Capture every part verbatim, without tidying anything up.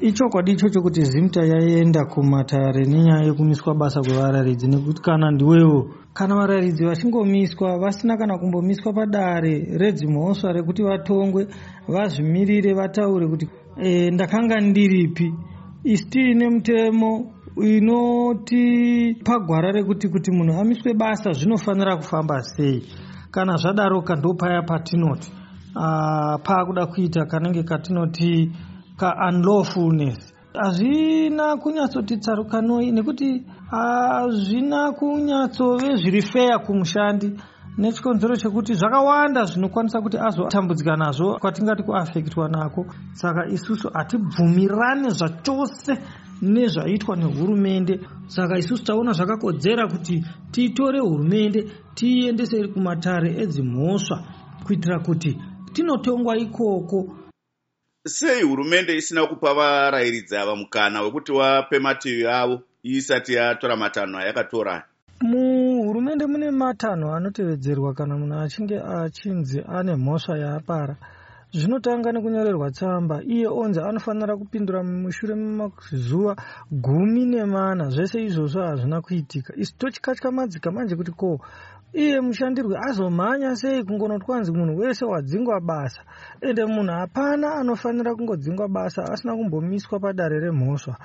Ichokwadi ichocho kuti ZIMTA yaenda kumatare nenyaya yekumiswa basa kwevarayiridzi, nekuti kana ndiwewo, kana varayiridzi vachingomiswa vasina kana kumbomiswa padare redzimhosva rekuti vatongwe, vazvimirire, vataure kuti e, ndakanga ndiripi. Isu tiine mutemo inotipa gwara rekuti kuti munhu amiswe basa zvinofanira kufamba sei. Kana zvadaroka, ndopaya patinoti paakuda kuita kanenge katinoti kaunlawfulness. Hazvina kunyatsoti tsarukanoi, nekuti hazvina kunyatsove zviri feya kumushandi, nechikonzero chekuti zvakawanda zvinokwanisa kuti azotambudzika nazvo, kwatingati kuaffectwa nako. Saka isusu hatibvumirane zvachose nezvaitwa nehurumende. Saka isusu taona zvakakodzera kuti titore hurumende tiiendese kumatare edzimhosva kuitira kuti tinotongwa ikoko. Sei hurumende isina kupa varayiridzi ava mukana wekuti vape mativi avo isati yatora matanho ayakatora? Muhurumende mune matanho anotevedzerwa kana munhu achinge achinzi ane mhosva yaapara. Zvinotanga nekunyorerwa tsamba, iye onzi anofanira kupindura mushure memazuva gumi nemana. Zvese izvozvo hazvina kuitika. Isu tochikatyamadzika manje kuti ko iye mushandirwi azomhanya sei kungonotwanzi munhu wese wadzingwa basa? Ende munhu hapana anofanira kungodzingwa basa asina kumbomiswa padare remhosva.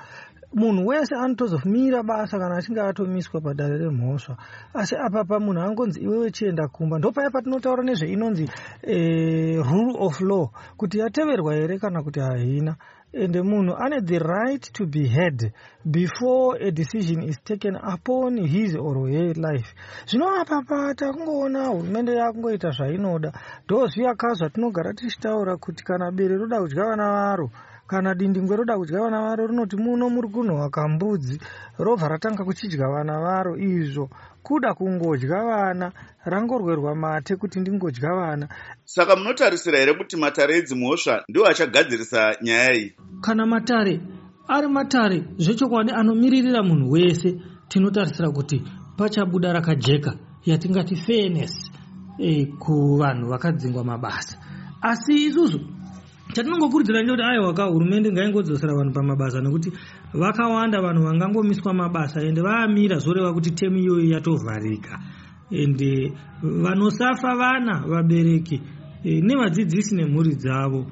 Munhu wese anotozomira basa kana achinge atomiswa padare remhosva. Asi apapa munhu angonzi, "Iwewe chienda kumba." Ndopaya patinotaura nezveinonzi e, rule of law, kuti yateverwa here kana kuti haina. Ende munhu ane the right to be heard before a decision is taken upon his or her life. Zvino apapa takungoona hurumende yakungoita zvainoda. Ndozviyaka zvatinogara tichitaura kuti kana bere roda kudya vana varo, kana dindingwe roda kudya vana varo, rinoti, "Muno muri kunhuhwa kambudzi," robva ratanga kuchidya vana varo. Izvo kuda kungodya vana, rangorwerwa mate kuti ndingodya vana. Saka munotarisira here kuti matare edzimhosva ndiwo achagadzirisa nyaya iyi? Kana matare ari matare zvechokwadi anomiririra munhu wese, tinotarisira kuti pachabuda rakajeka, yatingati fairness e, kuvanhu vakadzingwa mabasa. Asi isusu chatinongokurudzira ndechekuti aiwa ka, hurumende ngaingodzosera vanhu pamabasa, nekuti vakawanda vanhu vangangomiswa mabasa, ende vaamira zvoreva kuti temu iyoyo yatovharika, ende vanosafa vana, vabereki e, nevadzidzisi nemhuri dzavo.